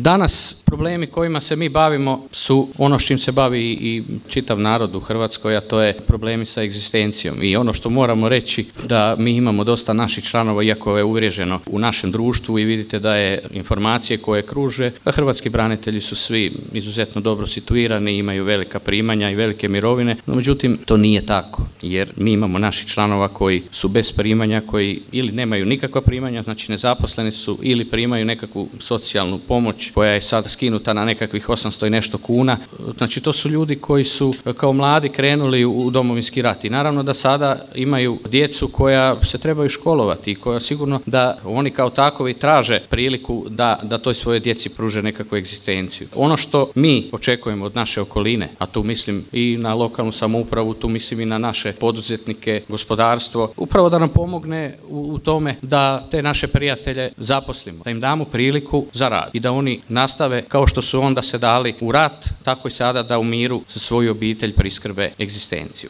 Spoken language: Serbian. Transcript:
Danas problemi kojima se mi bavimo su ono s čim se bavi i čitav narod u Hrvatskoj, a to je problemi sa egzistencijom. I ono što moramo reći da mi imamo dosta naših članova, iako je uvriježeno u našem društvu i vidite da je informacije koje kruže, da hrvatski branitelji su svi izuzetno dobro situirani, imaju velika primanja i velike mirovine, no međutim to nije tako, jer mi imamo naših članova koji su bez primanja, koji ili nemaju nikakva primanja, znači nezaposleni su, ili primaju nekakvu socijalnu pomoć koja je sad skinuta na nekakvih 800 i nešto kuna. Znači to su ljudi koji su kao mladi krenuli u Domovinski rat i naravno da sada imaju djecu koja se trebaju školovati i koja sigurno da oni kao takovi traže priliku da toj svojoj djeci pruže nekakvu egzistenciju. Ono što mi očekujemo od naše okoline, a tu mislim i na lokalnu samoupravu, tu mislim i na naše poduzetnike, gospodarstvo, upravo da nam pomogne u tome da te naše prijatelje zaposlimo, da im damo priliku za rad i da oni nastave kao što su onda se dali u rat, tako i sada da u miru za svoju obitelj priskrbe egzistenciju.